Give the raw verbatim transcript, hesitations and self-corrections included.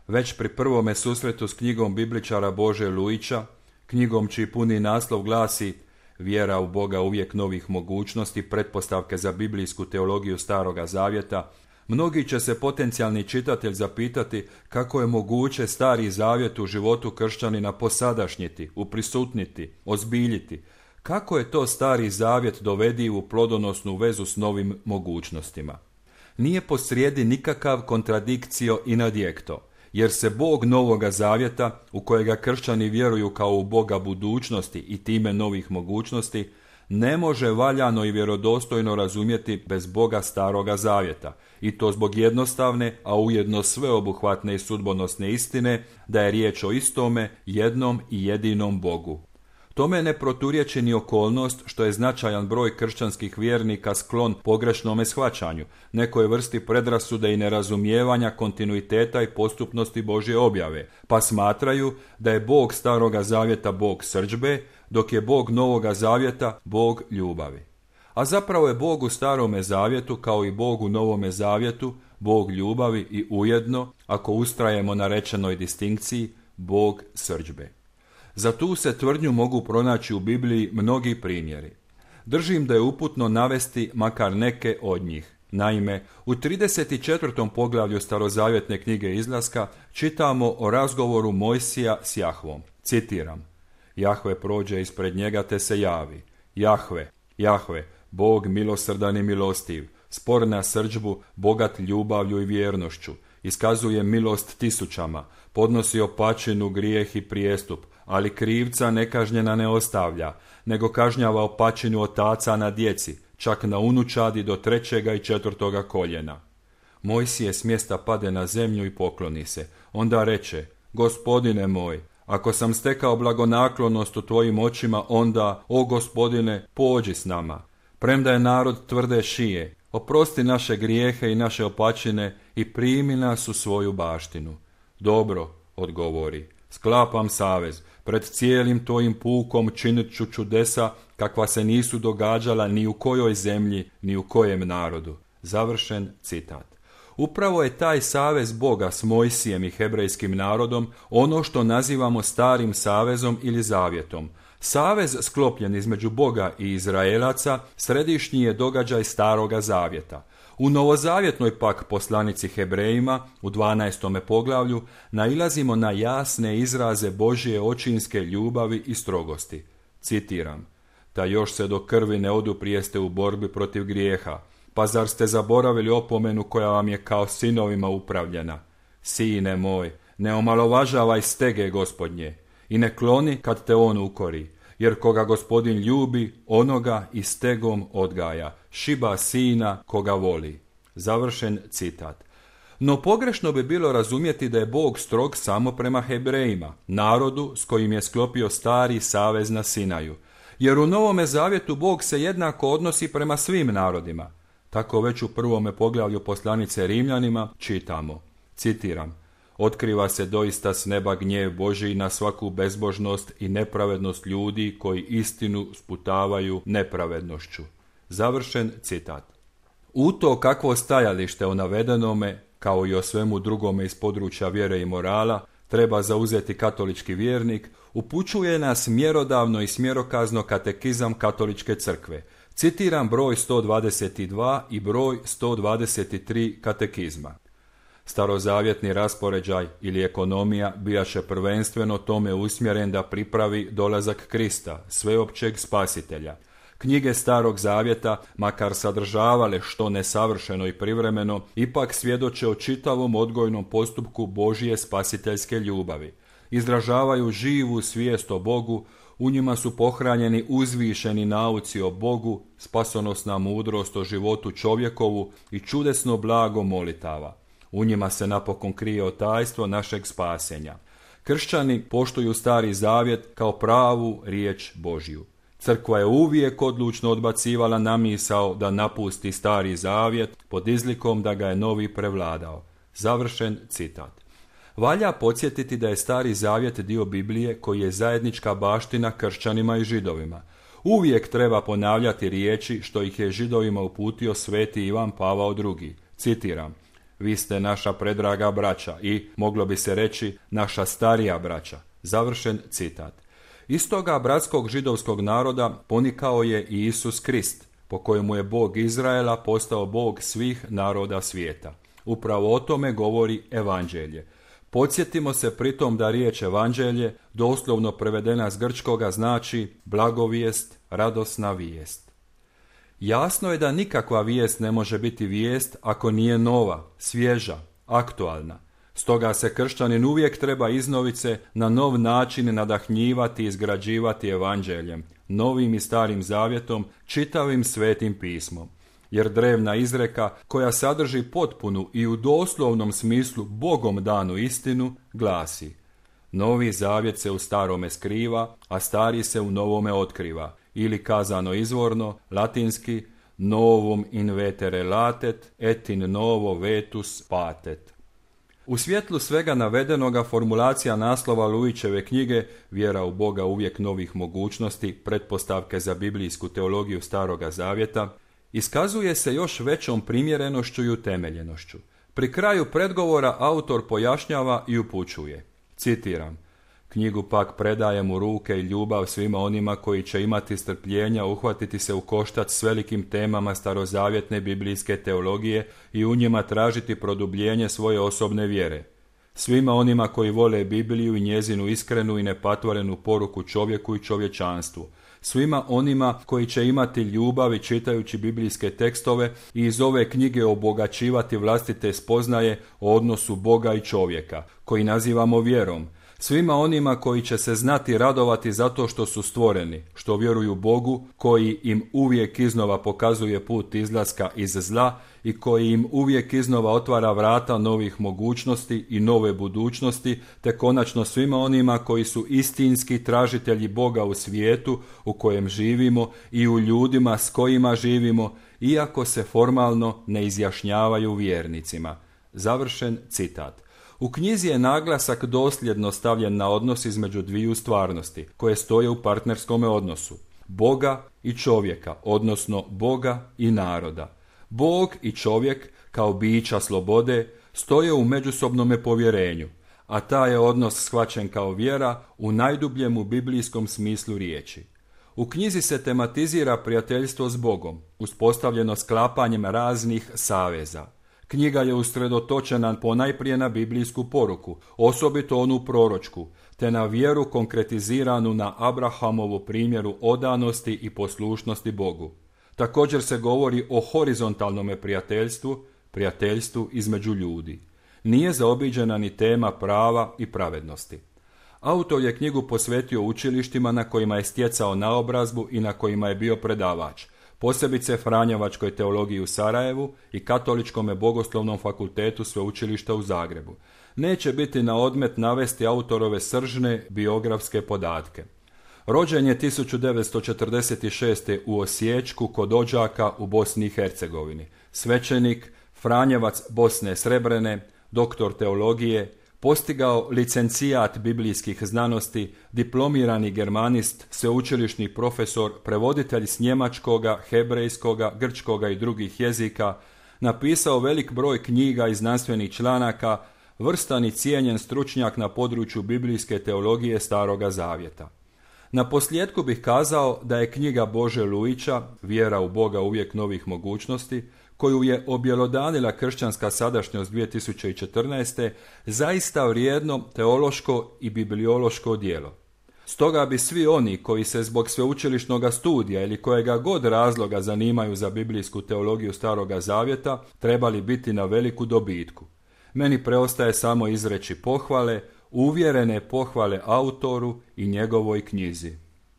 Već pri prvome susretu s knjigom bibličara Bože Lujića, knjigom čiji puni naslov glasi Vjera u Boga uvijek novih mogućnosti, pretpostavke za biblijsku teologiju Staroga Zavjeta, mnogi će se potencijalni čitatelj zapitati kako je moguće Stari Zavjet u životu kršćanina posadašnjiti, uprisutniti, ozbiljiti. Kako je to Stari Zavjet dovedi u plodonosnu vezu s novim mogućnostima? Nije posrijedi nikakav kontradikcio in adjekto, jer se Bog Novoga Zavjeta, u kojega kršćani vjeruju kao u Boga budućnosti i time novih mogućnosti, ne može valjano i vjerodostojno razumjeti bez Boga Staroga Zavjeta, i to zbog jednostavne, a ujedno sveobuhvatne i sudbonosne istine da je riječ o istome, jednom i jedinom Bogu. Tome ne proturječi ni okolnost što je značajan broj kršćanskih vjernika sklon pogrešnome shvaćanju, nekoj vrsti predrasude i nerazumijevanja kontinuiteta i postupnosti Božje objave, pa smatraju da je Bog Staroga Zavjeta Bog srdžbe, dok je Bog Novoga Zavjeta Bog ljubavi. A zapravo je Bog u Starome Zavjetu, kao i Bog u Novome Zavjetu, Bog ljubavi i ujedno, ako ustrajemo na rečenoj distinkciji, Bog srdžbe. Za tu se tvrdnju mogu pronaći u Bibliji mnogi primjeri. Držim da je uputno navesti makar neke od njih. Naime, u trideset četvrtom poglavlju starozavjetne knjige Izlaska čitamo o razgovoru Mojsija s Jahvom. Citiram: Jahve prođe ispred njega te se javi. Jahve, Jahve, Bog milosrdan i milostiv, spor na srdžbu, bogat ljubavlju i vjernošću, iskazuje milost tisućama, podnosi opačinu, grijeh i prijestup, ali krivca nekažnjena ne ostavlja, nego kažnjava opačinu otaca na djeci, čak na unučadi do trećega i četvrtoga koljena. Mojsije s mjesta pade na zemlju i pokloni se. Onda reče: Gospodine moj, ako sam stekao blagonaklonost u tvojim očima, onda, o Gospodine, pođi s nama. Premda je narod tvrde šije, oprosti naše grijehe i naše opačine i primi nas u svoju baštinu. Dobro, odgovori, sklapam savez, pred cijelim tvojim pukom činit ću čudesa kakva se nisu događala ni u kojoj zemlji, ni u kojem narodu. Završen citat. Upravo je taj savez Boga s Mojsijem i hebrejskim narodom ono što nazivamo Starim savezom ili zavjetom. Savez sklopljen između Boga i Izraelaca središnji je događaj Staroga Zavjeta. U novozavjetnoj pak poslanici Hebrejima, u dvanaestome poglavlju, nailazimo na jasne izraze Božje očinske ljubavi i strogosti. Citiram: Ta još se do krvi ne oduprijeste u borbi protiv grijeha, pa zar ste zaboravili opomenu koja vam je kao sinovima upravljena? Sine moj, ne omalovažavaj stege Gospodnje i ne kloni kad te on ukori, jer koga Gospodin ljubi, onoga i stegom odgaja, šiba sina koga voli. Završen citat. No pogrešno bi bilo razumjeti da je Bog strog samo prema Hebrejima, narodu s kojim je sklopio stari savez na Sinaju, jer u Novome Zavjetu Bog se jednako odnosi prema svim narodima. Tako već u prvome poglavlju poslanice Rimljanima čitamo, citiram: Otkriva se doista s neba gnjev Božji na svaku bezbožnost i nepravednost ljudi koji istinu sputavaju nepravednošću. Završen citat. U to kakvo stajalište o navedenome, kao i o svemu drugome iz područja vjere i morala, treba zauzeti katolički vjernik, upućuje nas mjerodavno i smjerokazno katekizam Katoličke crkve. Citiram broj sto dvadeset dva i broj sto dvadeset tri katekizma. Starozavjetni raspoređaj ili ekonomija bijaše prvenstveno tome usmjeren da pripravi dolazak Krista, sveopćeg spasitelja. Knjige Starog Zavjeta, makar sadržavale što nesavršeno i privremeno, ipak svjedoče o čitavom odgojnom postupku Božje spasiteljske ljubavi. Izražavaju živu svijest o Bogu, u njima su pohranjeni uzvišeni nauci o Bogu, spasonosna mudrost o životu čovjekovu i čudesno blago molitava. U njima se napokon krije tajstvo našeg spasenja. Kršćani poštuju Stari Zavjet kao pravu riječ Božju. Crkva je uvijek odlučno odbacivala namisao da napusti Stari Zavjet pod izlikom da ga je novi prevladao. Završen citat. Valja podsjetiti da je Stari Zavjet dio Biblije koji je zajednička baština kršćanima i židovima. Uvijek treba ponavljati riječi što ih je židovima uputio sveti Ivan Pavao drugi. Citiram: vi ste naša predraga braća i, moglo bi se reći, naša starija braća. Završen citat. Iz toga bratskog židovskog naroda ponikao je i Isus Krist, po kojemu je Bog Izraela postao Bog svih naroda svijeta. Upravo o tome govori Evanđelje. Podsjetimo se pritom da riječ Evanđelje, doslovno prevedena s grčkoga, znači blagovijest, radosna vijest. Jasno je da nikakva vijest ne može biti vijest ako nije nova, svježa, aktualna. Stoga se kršćanin uvijek treba iznovice na nov način nadahnjivati i izgrađivati Evanđeljem, novim i starim zavjetom, čitavim svetim pismom. Jer drevna izreka, koja sadrži potpunu i u doslovnom smislu Bogom danu istinu, glasi: Novi zavjet se u starome skriva, a stari se u novome otkriva, ili kazano izvorno, latinski novum in vetere latet, et in novo vetus patet. U svjetlu svega navedenoga formulacija naslova Luićeve knjige Vjera u Boga uvijek novih mogućnosti, pretpostavke za biblijsku teologiju Staroga zavjeta, iskazuje se još većom primjerenošću i utemeljenošću. Pri kraju predgovora autor pojašnjava i upućuje, citiram: Knjigu pak predajem u ruke i ljubav svima onima koji će imati strpljenja uhvatiti se u koštac s velikim temama starozavjetne biblijske teologije i u njima tražiti produbljenje svoje osobne vjere. Svima onima koji vole Bibliju i njezinu iskrenu i nepatvorenu poruku čovjeku i čovječanstvu. Svima onima koji će imati ljubav čitajući biblijske tekstove i iz ove knjige obogaćivati vlastite spoznaje o odnosu Boga i čovjeka, koji nazivamo vjerom. Svima onima koji će se znati radovati zato što su stvoreni, što vjeruju Bogu, koji im uvijek iznova pokazuje put izlaska iz zla i koji im uvijek iznova otvara vrata novih mogućnosti i nove budućnosti, te konačno svima onima koji su istinski tražitelji Boga u svijetu u kojem živimo i u ljudima s kojima živimo, iako se formalno ne izjašnjavaju vjernicima. Završen citat. U knjizi je naglasak dosljedno stavljen na odnos između dviju stvarnosti, koje stoje u partnerskome odnosu, Boga i čovjeka, odnosno Boga i naroda. Bog i čovjek, kao bića slobode, stoje u međusobnome povjerenju, a taj je odnos shvaćen kao vjera u najdubljemu biblijskom smislu riječi. U knjizi se tematizira prijateljstvo s Bogom, uspostavljeno sklapanjem raznih saveza. Knjiga je usredotočena ponajprije na biblijsku poruku, osobito onu proročku, te na vjeru konkretiziranu na Abrahamovu primjeru odanosti i poslušnosti Bogu. Također se govori o horizontalnome prijateljstvu, prijateljstvu između ljudi. Nije zaobiđena ni tema prava i pravednosti. Autor je knjigu posvetio učilištima na kojima je stjecao naobrazbu i na kojima je bio predavač, posebice Franjevačkoj teologiji u Sarajevu i Katoličkome bogoslovnom fakultetu sveučilišta u Zagrebu. Neće biti na odmet navesti autorove sržne biografske podatke. Rođen je tisuću devetsto četrdeset šeste. u Osiječku kod Odžaka u Bosni i Hercegovini. Svećenik, Franjevac Bosne Srebrene, doktor teologije, postigao licencijat biblijskih znanosti, diplomirani germanist, sveučilišni profesor, prevoditelj s njemačkoga, hebrejskoga, grčkoga i drugih jezika, napisao velik broj knjiga i znanstvenih članaka, vrstan i cijenjen stručnjak na području biblijske teologije Staroga zavjeta. Na posljedku bih kazao da je knjiga Bože Luića, Vjera u Boga uvijek novih mogućnosti, koju je objelodanila kršćanska sadašnjost dvije tisuće četrnaeste. zaista vrijedno teološko i bibliološko djelo. Stoga bi svi oni koji se zbog sveučilišnog studija ili kojega god razloga zanimaju za biblijsku teologiju Staroga zavjeta trebali biti na veliku dobitku. Meni preostaje samo izreći pohvale, uvjerene pohvale autoru i njegovoj knjizi.